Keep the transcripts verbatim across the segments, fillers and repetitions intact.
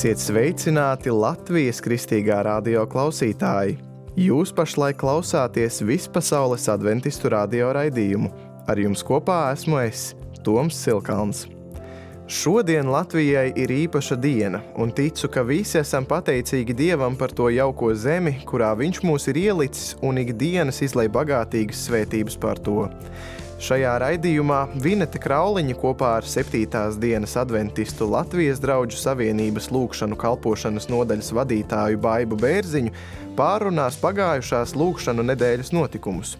Esiet sveicināti Latvijas kristīgā radio klausītāji! Jūs pašlaik klausāties vispasaules adventistu radio raidījumu. Ar jums kopā esmu es, Toms Silkalns. Šodien Latvijai ir īpaša diena, un ticu, ka visi esam pateicīgi Dievam par to jauko zemi, kurā Viņš mūs ir ielicis un ikdienas izlej bagātīgas svētības par to. Šajā raidījumā Vinete Krauliņa kopā ar septītās dienas adventistu Latvijas Draudžu Savienības lūgšanu kalpošanas nodaļas vadītāju Baibu Bērziņu pārrunās pagājušās lūgšanu nedēļas notikumus.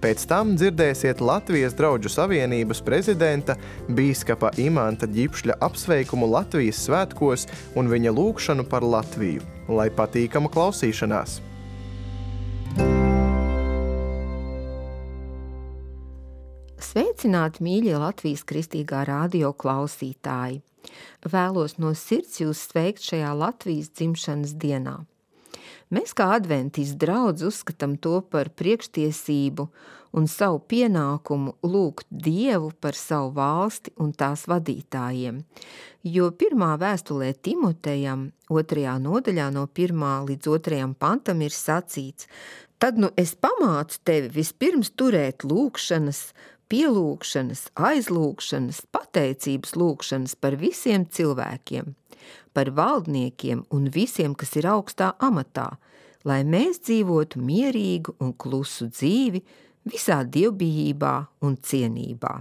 Pēc tam dzirdēsiet Latvijas Draudžu Savienības prezidenta bīskapa Imanta Ģipšļa apsveikumu Latvijas svētkos un viņa lūgšanu par Latviju. Lai patīkama klausīšanās! Sveicināti, mīļie Latvijas kristīgā radio klausītāji! Vēlos no sirds jūs sveikt šajā Latvijas dzimšanas dienā. Mēs kā adventistu draudz uzskatām to par priekštiesību un savu pienākumu lūgt Dievu par savu valsti un tās vadītājiem, jo pirmā vēstulē Timotejam, otrajā nodaļā no pirmā līdz otrajam pantam ir sacīts: tad nu es pamācu tevi vispirms turēt lūgšanas, pielūgšanas, aizlūgšanas, pateicības lūgšanas par visiem cilvēkiem, par valdniekiem un visiem, kas ir augstā amatā, lai mēs dzīvotu mierīgu un klusu dzīvi visā dievbijībā un cienībā.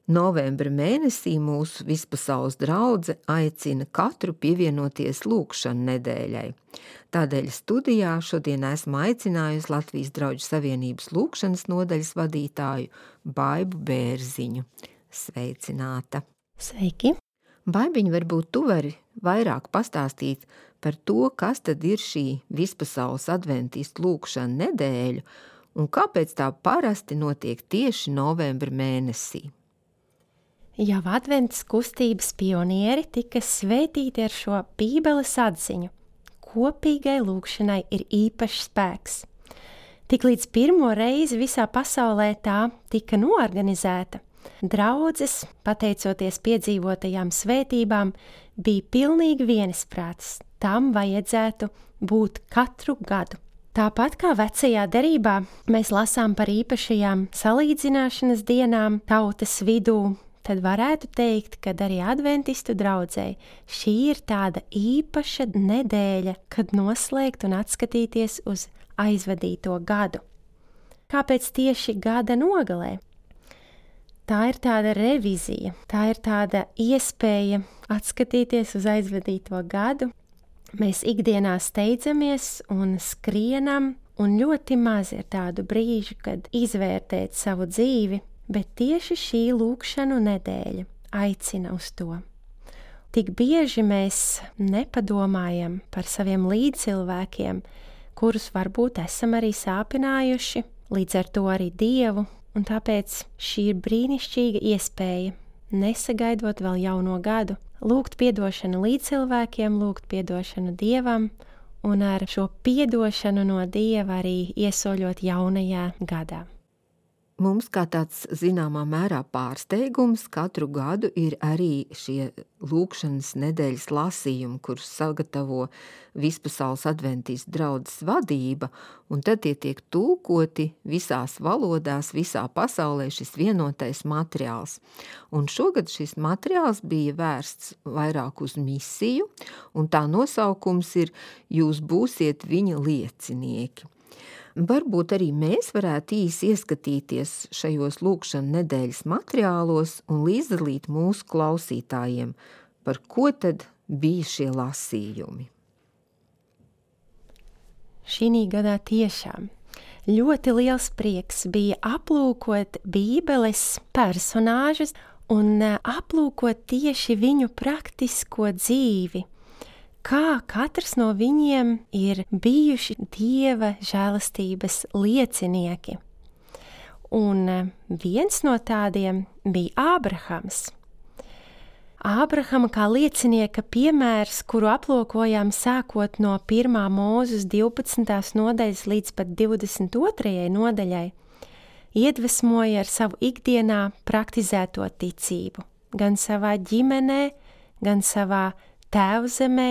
Novembra mēnesī mūsu vispasaules draudze aicina katru pievienoties lūgšanu nedēļai. Tādēļ studijā šodien esmu aicinājusi Latvijas Draudžu Savienības lūgšanas nodaļas vadītāju Baibu Bērziņu. Sveicināta! Sveiki! Baibiņ, varbūt tu vari vairāk pastāstīt par to, kas tad ir šī vispasaules adventistu lūgšana nedēļa un kāpēc tā parasti notiek tieši novembra mēnesī. Jau advents kustības pionieri tika svētīti ar šo Bībeles atziņu. Kopīgai lūgšanai ir īpašs spēks. Tiklīdz pirmo reizi visā pasaulē tā tika noorganizēta, draudzes, pateicoties piedzīvotajām svētībām, bija pilnīgi vienisprātis. Tam vajadzētu būt katru gadu. Tāpat kā vecajā derībā, mēs lasām par īpašajām salīdzināšanas dienām tautas vidū, tad varētu teikt, ka arī adventistu draudzei šī ir tāda īpaša nedēļa, kad noslēgt un atskatīties uz aizvadīto gadu. Kāpēc tieši gada nogalē? Tā ir tāda revizija, tā ir tāda iespēja atskatīties uz aizvadīto gadu. Mēs ikdienā steidzamies un skrienam, un ļoti maz ir tādu brīžu, kad izvērtēt savu dzīvi, bet tieši šī lūgšanu nedēļa aicina uz to. Tik bieži mēs nepadomājam par saviem līdzcilvēkiem, kurus varbūt esam arī sāpinājuši, līdz ar to arī Dievu, un tāpēc šī ir brīnišķīga iespēja, nesagaidot vēl jauno gadu, lūgt piedošanu līdzcilvēkiem, lūgt piedošanu Dievam, un ar šo piedošanu no Dieva arī iesoļot jaunajā gadā. Mums kā tāds zināmā mērā pārsteigums katru gadu ir arī šie lūgšanas nedēļas lasījumi, kurus sagatavo vispasaules adventistu draudzes vadība, un tad tie tiek tulkoti visās valodās, visā pasaulē šis vienotais materiāls. Un šogad šis materiāls bija vērsts vairāk uz misiju, un tā nosaukums ir Jūs būsiet viņa liecinieki. Varbūt arī mēs varētu īsi ieskatīties šajos lūgšana nedēļas materiālos un līdzdalīt mūsu klausītājiem, par ko tad bija šie lasījumi. Šī gadā tiešām ļoti liels prieks bija aplūkot Bībeles personāžus un aplūkot tieši viņu praktisko dzīvi. Kā katrs no viņiem ir bijuši Dieva žēlastības liecinieki. Un viens no tādiem bija Ābrahams. Ābrahama kā liecinieka piemērs, kuru aplūkojām sākot no pirmā Mūzes divpadsmitās nodaļas līdz pat divdesmit otrajai nodaļai, iedvesmoja ar savu ikdienā praktizēto ticību, gan savā ģimenē, gan savā tēvzemē,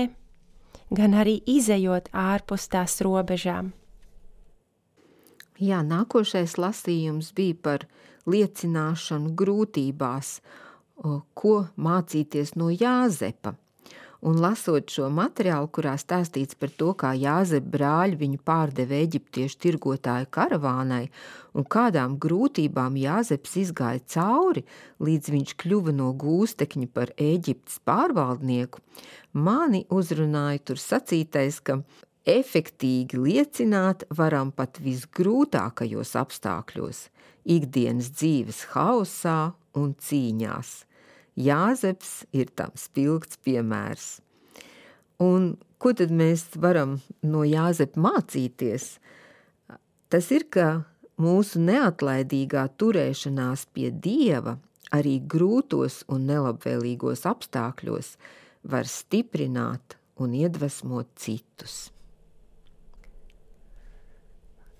gan arī izejot ārpus tās robežām. Jā, nākošais lasījums bija par liecināšanu grūtībās, ko mācīties no Jāzepa. Un lasot šo materiālu, kurā stāstīts par to, kā Jāzepa brāļi viņu pārdeva eģiptiešu tirgotāju karavānai un kādām grūtībām Jāzeps izgāja cauri, līdz viņš kļuva no gūstekņa par Ēģiptes pārvaldnieku, mani uzrunāja tur sacītais, ka efektīgi liecināt varam pat visgrūtākajos apstākļos, ikdienas dzīves haosā un cīņās. Jāzeps ir tam spilgts piemērs. Un ko tad mēs varam no Jāzepa mācīties? Tas ir, ka mūsu neatlaidīgā turēšanās pie Dieva arī grūtos un nelabvēlīgos apstākļos var stiprināt un iedvesmot citus.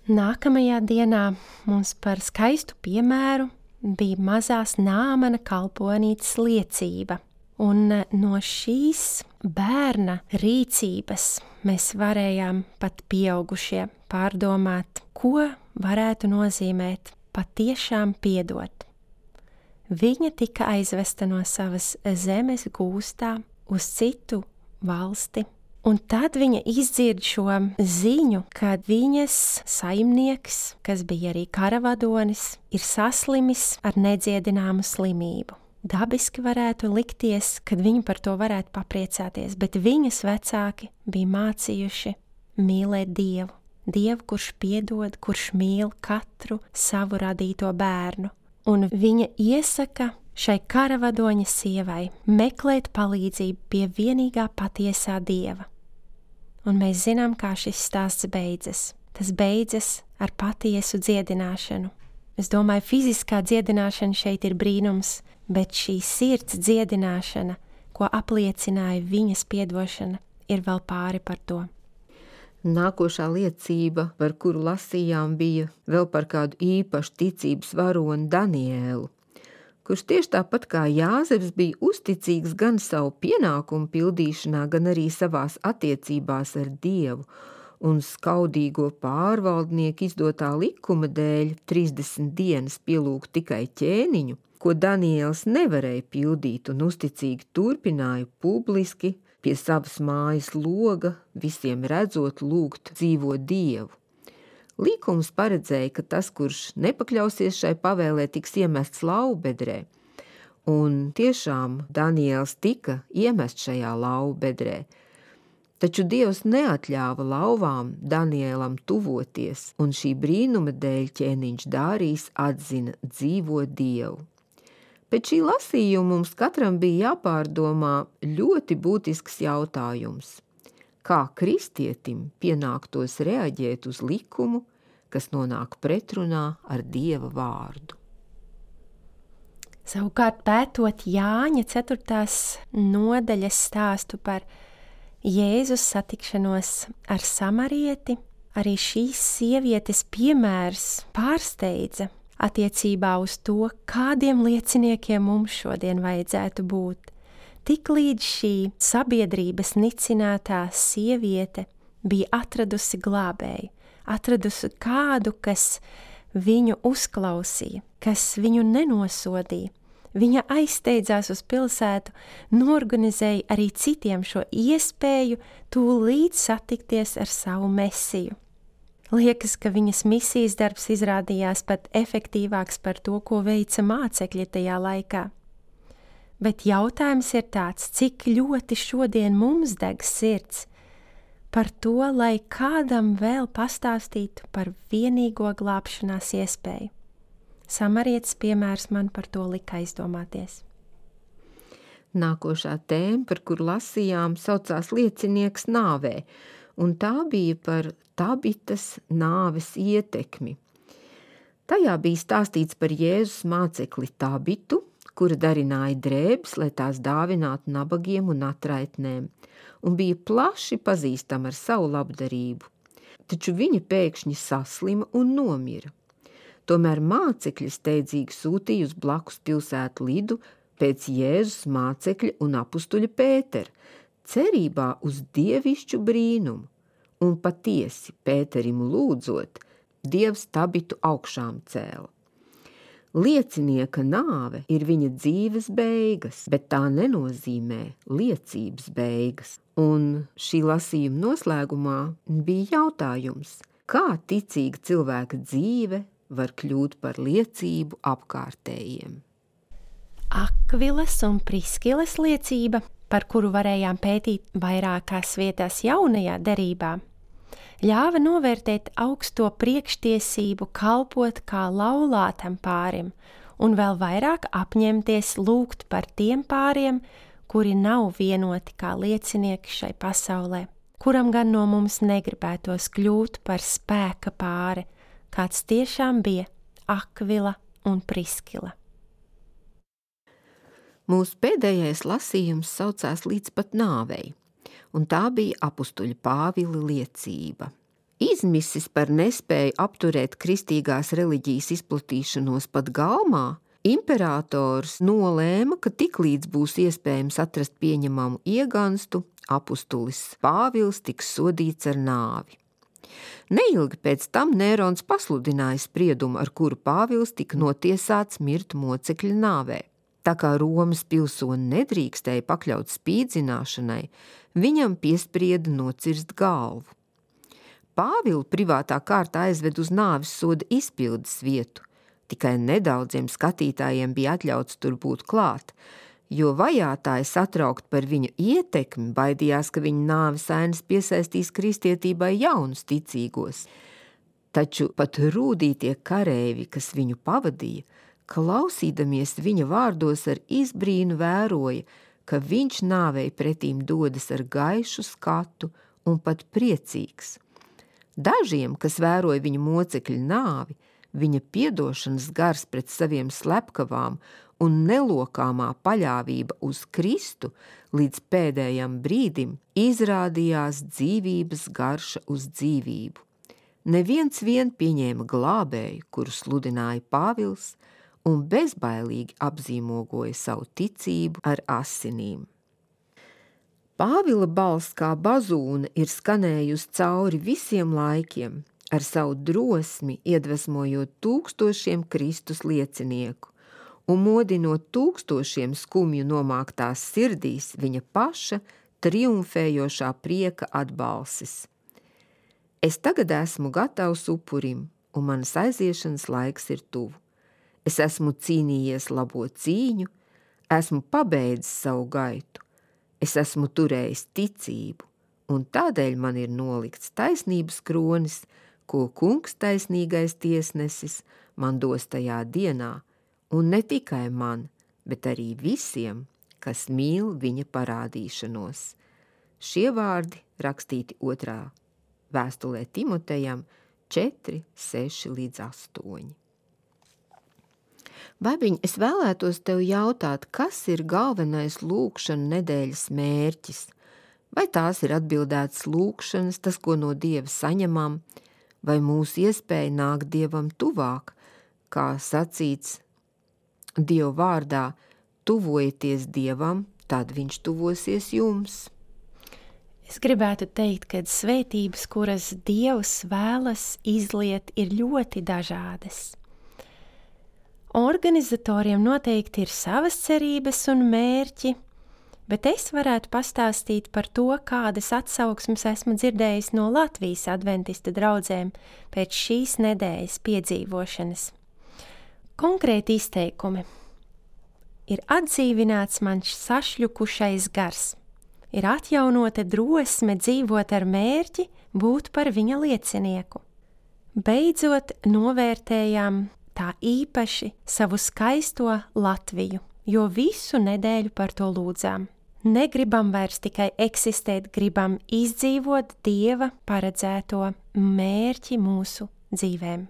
Nākamajā dienā mums par skaistu piemēru bija mazās Nāmana kalponītes liecība, un no šīs bērna rīcības mēs varējām pat pieaugušie pārdomāt, ko varētu nozīmēt patiešām piedot. Viņa tika aizvesta no savas zemes gūstā uz citu valsti, un tad viņa izdzird šo ziņu, ka viņas saimnieks, kas bija arī karavadonis, ir saslimis ar nedziedināmu slimību. Dabiski varētu likties, ka viņi par to varētu papriecāties, bet viņas vecāki bija mācījuši mīlēt Dievu. Dievu, kurš piedod, kurš mīl katru savu radīto bērnu. Un viņa iesaka šai karavadoņa sievai meklēt palīdzību pie vienīgā patiesā Dieva. Un mēs zinām, kā šis stāsts beidzas. Tas beidzas ar patiesu dziedināšanu. Es domāju, fiziskā dziedināšana šeit ir brīnums, bet šī sirds dziedināšana, ko apliecināja viņas piedošana, ir vēl pāri par to. Nākošā liecība, par kuru lasījām, bija vēl par kādu īpašu ticības varoni Daniēlu, kurš tieši tāpat kā Jāzeps bija uzticīgs gan savu pienākumu pildīšanā, gan arī savās attiecībās ar Dievu, un skaudīgo pārvaldnieku izdotā likuma dēļ trīsdesmit dienas pielūgt tikai ķēniņu, ko Daniēls nevarēja pildīt un uzticīgi turpināja publiski pie savas mājas loga, visiem redzot lūgt dzīvo Dievu. Likums paredzēja, ka tas, kurš nepakļausies šai pavēlē, tiks iemests laubedrē, un tiešām Daniēls tika iemests šajā laubedrē, taču Dievs neatļāva lauvām Daniēlam tuvoties, un šī brīnuma dēļ ķēniņš Dārījs atzina dzīvo Dievu. Pēc šī lasījuma mums katram bija jāpārdomā ļoti būtisks jautājums. Kā kristietim pienāktos reaģēt uz likumu, kas nonāk pretrunā ar Dieva vārdu? Savukārt pētot Jāņa ceturtās nodaļas stāstu par Jēzus satikšanos ar samarieti, arī šīs sievietes piemērs pārsteidza attiecībā uz to, kādiem lieciniekiem mums šodien vajadzētu būt. Tik līdz šī sabiedrības nicinātā sieviete bija atradusi glābēju, atradusi kādu, kas viņu uzklausīja, kas viņu nenosodīja. Viņa aizsteidzās uz pilsētu, norganizēja arī citiem šo iespēju tūlīt satikties ar savu mesiju. Liekas, ka viņas misijas darbs izrādījās pat efektīvāks par to, ko veica mācekļi tajā laikā. Bet jautājums ir tāds, cik ļoti šodien mums deg sirds par to, lai kādam vēl pastāstītu par vienīgo glābšanās iespēju. Samarietes piemērs man par to lika aizdomāties. Nākošā tēma, par kuru lasījām, saucās liecinieks nāvē, un tā bija par Tabitas nāves ietekmi. Tajā bija stāstīts par Jēzus mācekli Tabitu, kura darināja drēbes, lai tās dāvinātu nabagiem un atraitnēm, un bija plaši pazīstama ar savu labdarību. Taču viņa pēkšņi saslima un nomira. Tomēr mācekļi steidzīgi sūtīja uz blakus pilsētu Lidu pēc Jēzus mācekļa un apustuļa Pētera, cerībā uz dievišķu brīnumu, un patiesi Pēterim lūdzot, Dievs Tabitu augšām cēla. Liecinieka nāve ir viņa dzīves beigas, bet tā nenozīmē liecības beigas. Un šī lasījuma noslēgumā bija jautājums, kā ticīga cilvēka dzīve var kļūt par liecību apkārtējiem. Akvilas un Priskilas liecība, par kuru varējām pētīt vairākās vietās jaunajā derībā, ļāva novērtēt augsto priekštiesību kalpot kā laulātam pārim un vēl vairāk apņemties lūgt par tiem pāriem, kuri nav vienoti kā liecinieki šai pasaulē, kuram gan no mums negribētos kļūt par spēka pāri, kāds tiešām bija Akvila un Priskila. Mūsu pēdējais lasījums saucās līdz pat nāvei, un tā bija apustuļa Pāvila liecība. Izmisis par nespēju apturēt kristīgās reliģijas izplatīšanos pat Galmā, imperators nolēma, ka tiklīdz būs iespējams atrast pieņemamu ieganstu, apustulis Pāvils tiks sodīts ar nāvi. Neilgi pēc tam Nērons pasludināja spriedumu, ar kuru Pāvils tika notiesāts mirt mocekļa nāvē. Tā kā Romas pilsoni nedrīkstēja pakļaut spīdzināšanai, viņam piesprieda nocirst galvu. Pāvilu privātā kārtā aizved uz nāves soda izpildes vietu, tikai nedaudziem skatītājiem bija atļauts tur būt klāt, jo vajātāji satraukt par viņu ietekmi baidījās, ka viņa nāves ainas piesaistīs kristietībai jaunus ticīgos. Taču pat rūdītie kareivi, kas viņu pavadīja, klausīdamies viņa vārdos ar izbrīnu vēroja, ka viņš nāvei pretīm dodas ar gaišu skatu un pat priecīgs. Dažiem, kas vēroja viņa mocekļa nāvi, viņa piedošanas gars pret saviem slepkavām un nelokāmā paļāvība uz Kristu līdz pēdējam brīdim izrādījās dzīvības garša uz dzīvību. Neviens vien pieņēma glābēju, kuru sludināja Pāvils, un bezbailīgi apzīmogoja savu ticību ar asinīm. Pāvila balss kā bazūna ir skanējusi cauri visiem laikiem, ar savu drosmi iedvesmojot tūkstošiem Kristus liecinieku un modinot tūkstošiem skumju nomāktās sirdīs viņa paša triumfējošā prieka atbalsis. Es tagad esmu gatavs upurim, un manas aiziešanas laiks ir tuvu. Es esmu cīnījies labo cīņu, esmu pabeidzis savu gaitu, es esmu turējis ticību, un tādēļ man ir nolikts taisnības kronis, ko kungs taisnīgais tiesnesis man dos tajā dienā, un ne tikai man, bet arī visiem, kas mīl viņa parādīšanos. Šie vārdi rakstīti otrā vēstulē Timotejam četri, seši līdz astoņi. Baibiņ, es vēlētos tev jautāt, kas ir galvenais lūkšana nedēļas mērķis? Vai tās ir atbildētas lūkšanas, tas, ko no Dieva saņemam, vai mūsu iespēja nākt Dievam tuvāk, kā sacīts Dieva vārdā, tuvojieties Dievam, tad viņš tuvosies jums? Es gribētu teikt, ka svētības, kuras Dievs vēlas izliet, ir ļoti dažādas. Organizatoriem noteikti ir savas cerības un mērķi, bet es varētu pastāstīt par to, kādas atsauksmes esmu dzirdējis no Latvijas adventista draudzēm pēc šīs nedēļas piedzīvošanas. Konkrēti izteikumi. Ir atdzīvināts mans sašļukušais gars. Ir atjaunota drosme dzīvot ar mērķi būt par viņa liecinieku. Beidzot novērtējām tā īpaši savu skaisto Latviju, jo visu nedēļu par to lūdzām. Negribam vairs tikai eksistēt, gribam izdzīvot Dieva paredzēto mērķi mūsu dzīvēm.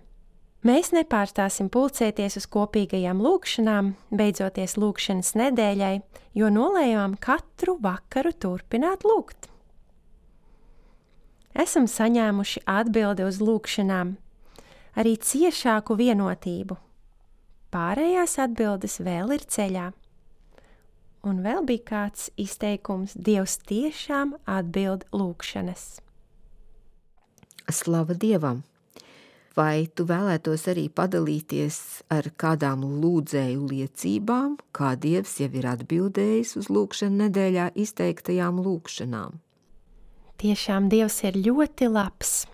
Mēs nepārstāsim pulcēties uz kopīgajām lūkšanām, beidzoties lūkšanas nedēļai, jo nolējām katru vakaru turpināt lūgt. Esam saņēmuši atbildi uz lūkšanām, arī ciešāku vienotību. Pārējās atbildes vēl ir ceļā. Un vēl bija kāds izteikums: Dievs tiešām atbild lūgšanas. Slava Dievam! Vai tu vēlētos arī padalīties ar kādām lūdzēju liecībām, kā Dievs jau ir atbildējis uz lūgšanu nedēļā izteiktajām lūgšanām? Tiešām Dievs ir ļoti labs.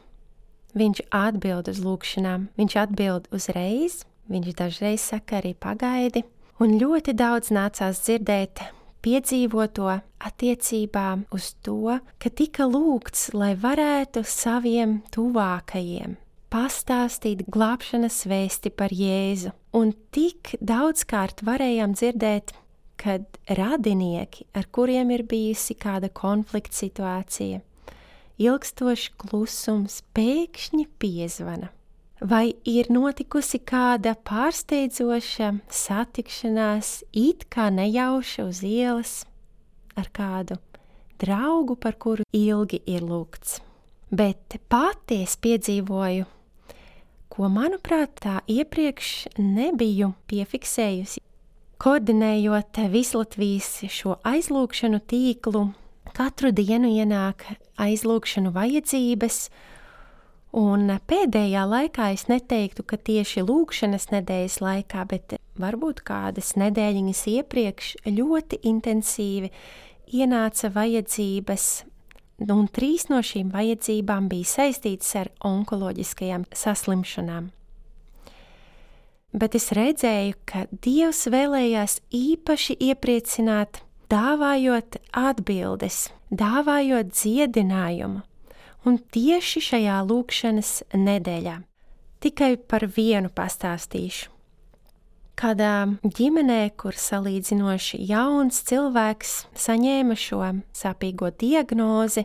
Viņš atbild uz lūgšanām, viņš atbild uzreiz, viņš dažreiz saka arī pagaidi, un ļoti daudz nācās dzirdēt piedzīvoto attiecībā uz to, ka tika lūgts, lai varētu saviem tuvākajiem pastāstīt glābšanas vēsti par Jēzu. Un tik daudzkārt varējām dzirdēt, kad radinieki, ar kuriem ir bijusi kāda konflikta situācija, ilgstošs klusums, pēkšņi piezvana. Vai ir notikusi kāda pārsteidzoša satikšanās, it kā nejauša uz ielas ar kādu draugu, par kuru ilgi ir lūgts. Bet pati es piedzīvoju, ko, manuprāt, tā iepriekš nebiju piefiksējusi. Koordinējot Vislatvijas šo aizlūgšanu tīklu, katru dienu ienāk aizlūgšanu vajadzības, un pēdējā laikā es neteiktu, ka tieši lūgšanas nedēļas laikā, bet varbūt kādas nedēļiņas iepriekš ļoti intensīvi ienāca vajadzības, un trīs no šīm vajadzībām bija saistītas ar onkoloģiskajām saslimšanām. Bet es redzēju, ka Dievs vēlējās īpaši iepriecināt, dāvājot atbildes, dāvājot dziedinājumu, un tieši šajā lūgšanas nedēļā. Tikai par vienu pastāstīšu. Kādā ģimenē, kur salīdzinoši jauns cilvēks saņēma šo sāpīgo diagnozi,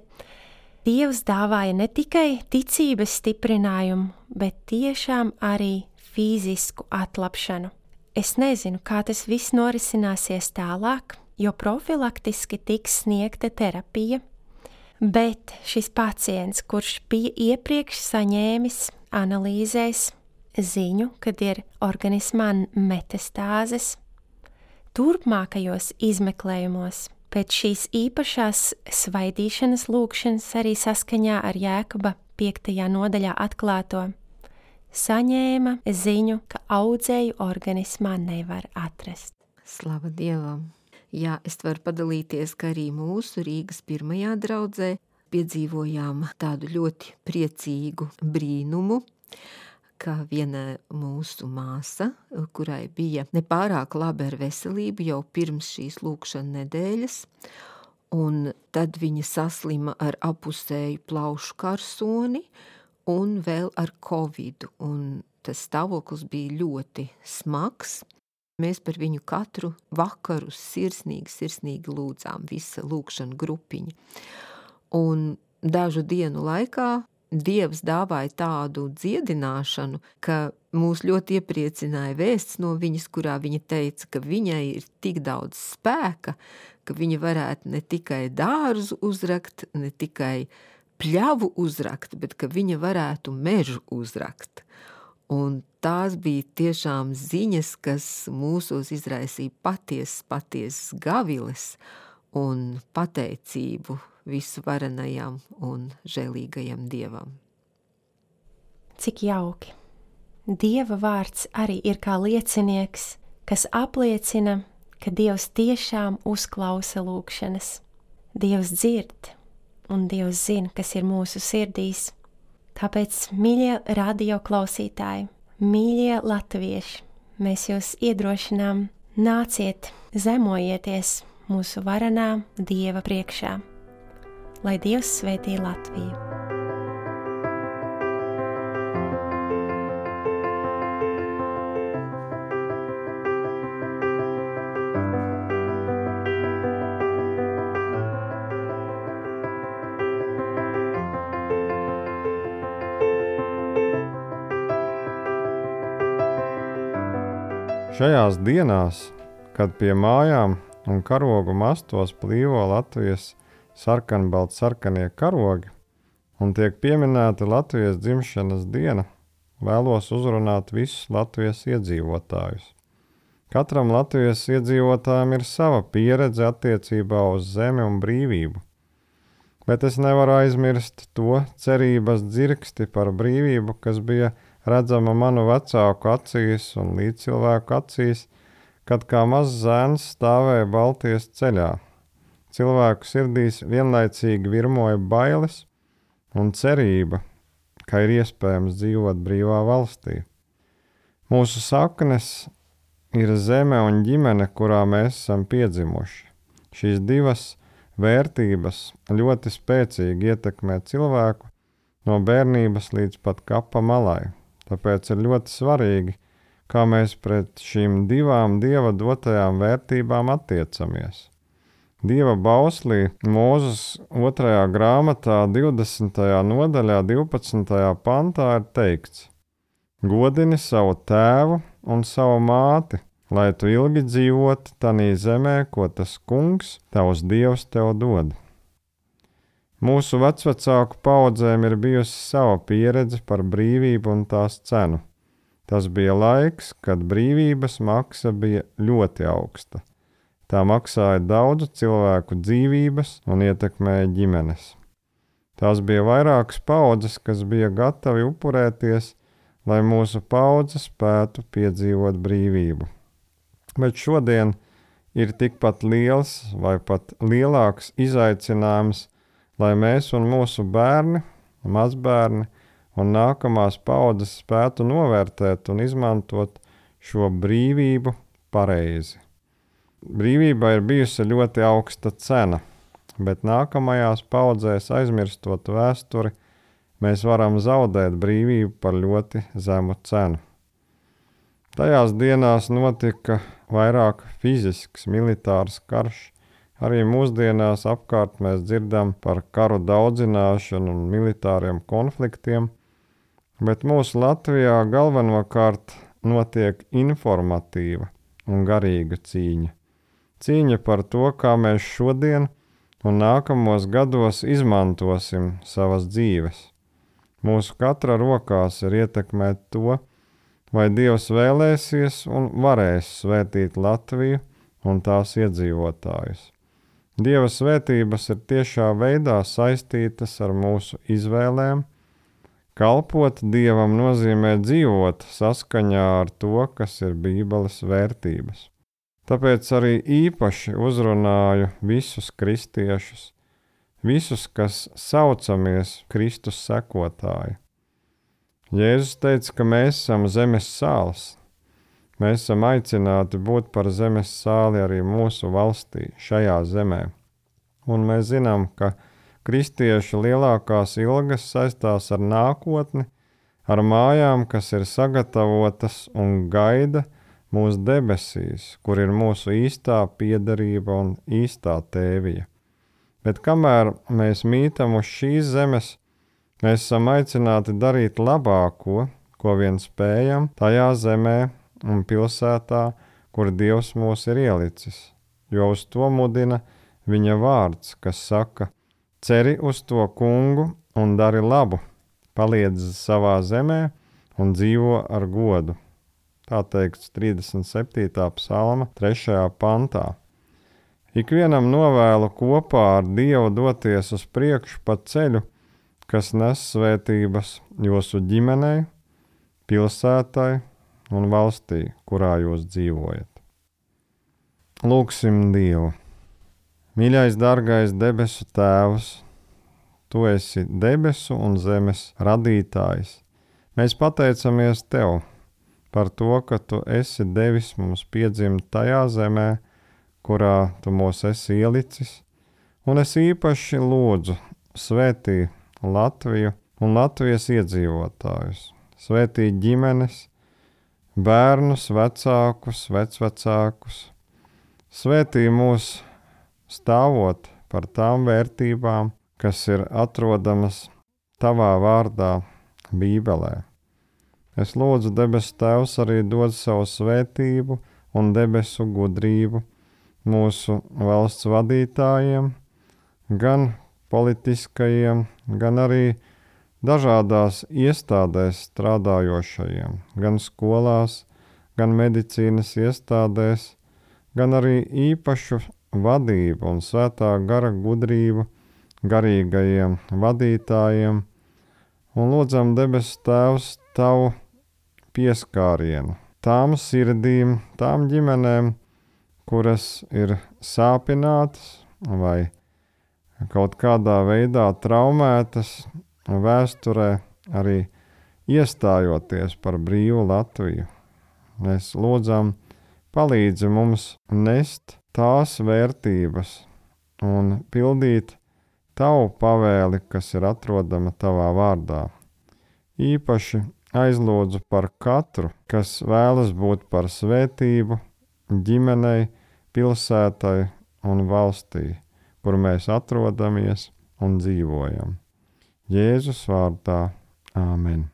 Dievs dāvāja ne tikai ticības stiprinājumu, bet tiešām arī fizisku atlapšanu. Es nezinu, kā tas viss norisināsies tālāk, jo profilaktiski tiks sniegta terapija, bet šis pacients, kurš bija iepriekš saņēmis analīzēs ziņu, kad ir organismā metastāzes, turpmākajos izmeklējumos pēc šīs īpašās svaidīšanas lūgšanas arī saskaņā ar Jēkaba piektajā nodaļā atklāto, saņēma ziņu, ka audzēju organismā nevar atrast. Slava Dievam! Jā, es varu padalīties, ka arī mūsu Rīgas pirmajā draudzē piedzīvojām tādu ļoti priecīgu brīnumu, ka viena mūsu māsa, kurai bija nepārāk labi ar veselību jau pirms šīs lūgšana nedēļas, un tad viņa saslima ar apusēju plaušu karsoni un vēl ar covidu, un tas stāvoklis bija ļoti smags. Mēs par viņu katru vakaru sirsnīgi, sirsnīgi lūdzām, visa lūgšana grupiņa. Un dažu dienu laikā Dievs dāvāja tādu dziedināšanu, ka mūs ļoti iepriecināja vēsts no viņas, kurā viņa teica, ka viņai ir tik daudz spēka, ka viņa varētu ne tikai dārzu uzrakt, ne tikai pļavu uzrakt, bet ka viņa varētu mežu uzrakt. Un tās bija tiešām ziņas, kas mūsos izraisīja patiesas, patiesas gaviles un pateicību visu varenajam un žēlīgajam Dievam. Cik jauki! Dieva vārds arī ir kā liecinieks, kas apliecina, ka Dievs tiešām uzklausa lūgšanas. Dievs dzird, un Dievs zina, kas ir mūsu sirdīs. Tāpēc, mīļie radio klausītāji, mīļie latvieši, mēs jūs iedrošinām, nāciet, zemojieties mūsu varenā Dieva priekšā. Lai Dievs svētī Latviju! Šajās dienās, kad pie mājām un karogu mastos plīvo Latvijas sarkanbalti sarkanie karogi un tiek pieminēta Latvijas dzimšanas diena, vēlos uzrunāt visus Latvijas iedzīvotājus. Katram Latvijas iedzīvotājam ir sava pieredze attiecībā uz zemi un brīvību, bet es nevaru aizmirst to cerības dzirksti par brīvību, kas bija redzama manu vecāku acīs un līdzcilvēku acīs, kad kā mazs zēns stāvēja Baltijas ceļā. Cilvēku sirdīs vienlaicīgi virmoja bailes un cerība, ka ir iespējams dzīvot brīvā valstī. Mūsu saknes ir zeme un ģimene, kurā mēs esam piedzimuši. Šīs divas vērtības ļoti spēcīgi ietekmē cilvēku no bērnības līdz pat kapa malai. Tāpēc ir ļoti svarīgi, kā mēs pret šīm divām Dieva dotajām vērtībām attiecamies. Dieva bauslī Mūzes otrajā grāmatā divdesmitajā nodaļā divpadsmitajā pantā ir teikts: Godini savu tēvu un savu māti, lai tu ilgi dzīvoti tanī zemē, ko tas kungs, tavs Dievs, tev dod. Mūsu vecvecāku paudzēm ir bijusi sava pieredze par brīvību un tās cenu. Tas bija laiks, kad brīvības maksa bija ļoti augsta. Tā maksāja daudzu cilvēku dzīvības un ietekmēja ģimenes. Tās bija vairākas paudzes, kas bija gatavi upurēties, lai mūsu paudze spētu piedzīvot brīvību. Bet šodien ir tikpat liels vai pat lielāks izaicinājums, lai mēs un mūsu bērni, mazbērni un nākamās paudzes spētu novērtēt un izmantot šo brīvību pareizi. Brīvība ir bijusi ļoti augsta cena, bet nākamajās paudzēs aizmirstot vēsturi, mēs varam zaudēt brīvību par ļoti zemu cenu. Tajās dienās notika vairāk fizisks militārs karš. Arī mūsdienās apkārt mēs dzirdam par karu daudzināšanu un militāriem konfliktiem, bet mūsu Latvijā galvenokārt notiek informatīva un garīga cīņa. Cīņa par to, kā mēs šodien un nākamos gados izmantosim savas dzīves. Mūsu katra rokās ir ietekmēt to, vai Dievs vēlēsies un varēs svētīt Latviju un tās iedzīvotājus. Dieva svētības ir tiešā veidā saistītas ar mūsu izvēlēm. Kalpot Dievam nozīmē dzīvot saskaņā ar to, kas ir Bībeles vērtības. Tāpēc arī īpaši uzrunāju visus kristiešus, visus, kas saucamies Kristus sekotāji. Jēzus teica, ka mēs esam zemes sāls. Mēs esam aicināti būt par zemes sāli arī mūsu valstī, šajā zemē. Un mēs zinām, ka kristiešu lielākās ilgas saistās ar nākotni, ar mājām, kas ir sagatavotas un gaida mūsu debesīs, kur ir mūsu īstā piederība un īstā tēvija. Bet kamēr mēs mītam uz šīs zemes, mēs esam aicināti darīt labāko, ko vien spējam tajā zemē un pilsētā, kur Dievs mūs ir ielicis, jo uz to mudina viņa vārds, kas saka: ceri uz to kungu un dari labu, paliedz savā zemē un dzīvo ar godu. Tā teikts trīsdesmit septītā psalma trešajā pantā. Ikvienam novēlu kopā ar Dievu doties uz priekšu pa ceļu, kas nes svētības jūsu ģimenei, pilsētai un valstī, kurā jūs dzīvojat. Lūksim Dievu. Mīļais, dargais debesu Tēvs, Tu esi debesu un zemes radītājs. Mēs pateicamies Tev par to, ka Tu esi devis mums piedzimt tajā zemē, kurā Tu mūs esi ielicis, un es īpaši lūdzu svētī Latviju un Latvijas iedzīvotājus, svētī ģimenes, bērnus, vecākus, vecvecākus, svētī mūs stāvot par tām vērtībām, kas ir atrodamas Tavā vārdā Bībelē. Es lūdzu debesu Tēvs arī dod savu svētību un debesu gudrību mūsu valsts vadītājiem, gan politiskajiem, gan arī dažādās iestādēs strādājošajiem, gan skolās, gan medicīnas iestādēs, gan arī īpašu vadību un svētā gara gudrību garīgajiem vadītājiem, un lūdzam debes Tēvs Tavu pieskārienu tām sirdīm, tām ģimenēm, kuras ir sāpinātas vai kaut kādā veidā traumētas vēsturē, arī iestājoties par brīvu Latviju. Mēs lūdzam, palīdzi mums nest tās vērtības un pildīt Tavu pavēli, kas ir atrodama Tavā vārdā. Īpaši aizlūdzu par katru, kas vēlas būt par svētību ģimenei, pilsētai un valstī, kur mēs atrodamies un dzīvojam. Jēzus vārdā. Āmen.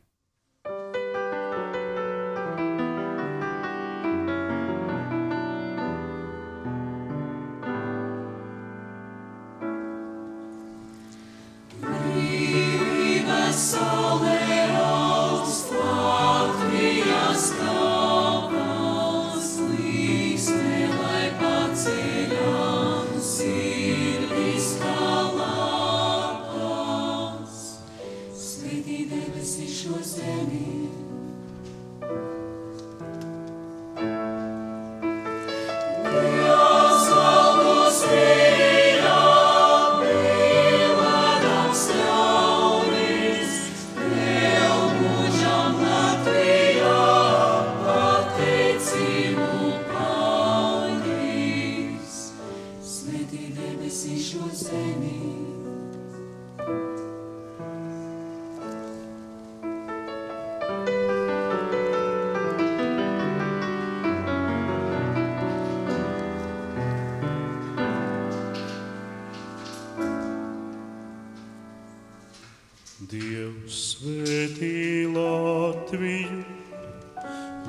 Dievs svētī Latviju,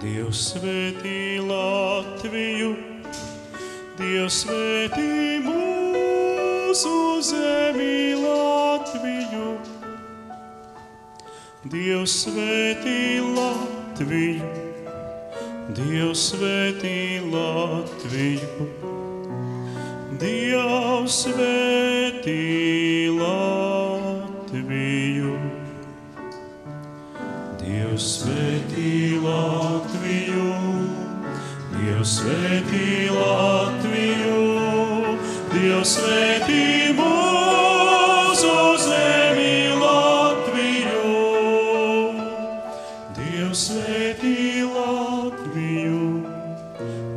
Dievs svētī Latviju, Dievs svētī mūsu zemi Latviju. Dievs svētī Latviju, Dievs svētī Latviju, Dievs svētī Latviju. Dievs svētī Latviju, Dievs svētī Latviju, Dievs svētī mūsu zemi Latviju. Dievs svētī Latviju,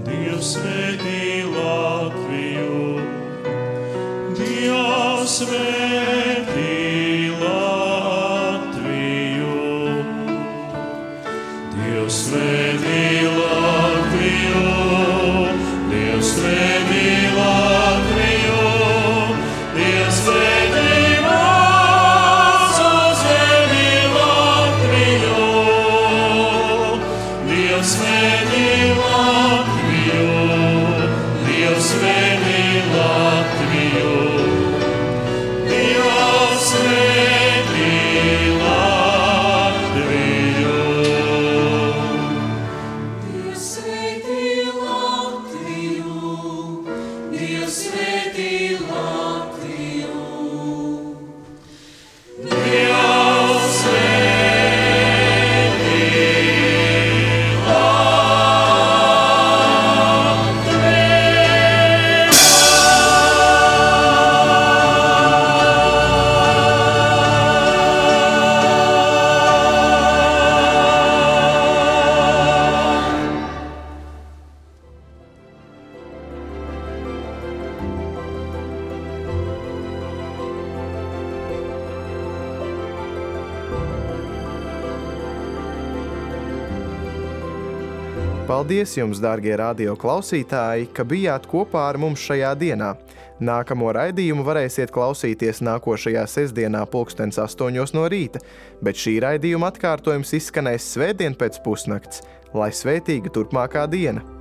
Dievs svētī Latviju, Dievs svētī Latviju. Dievs svētī Latviju, Dievs svētī Latviju, Dievs svētī mūsu zemi Latviju. Dievs svētī Latviju, Dievs svētī Latviju, Dievs svētī Latviju. Dievs svētī Latviju, Dievs svētī Latviju, Dievs Paldies jums, dārgie radio klausītāji, ka bijāt kopā ar mums šajā dienā. Nākamo raidījumu varēsiet klausīties nākošajā sestdienā pulkstens astoņos no rīta, bet šī raidījuma atkārtojums izskanēs svētdien pēc pusnakts. Lai svētīga turpmākā diena!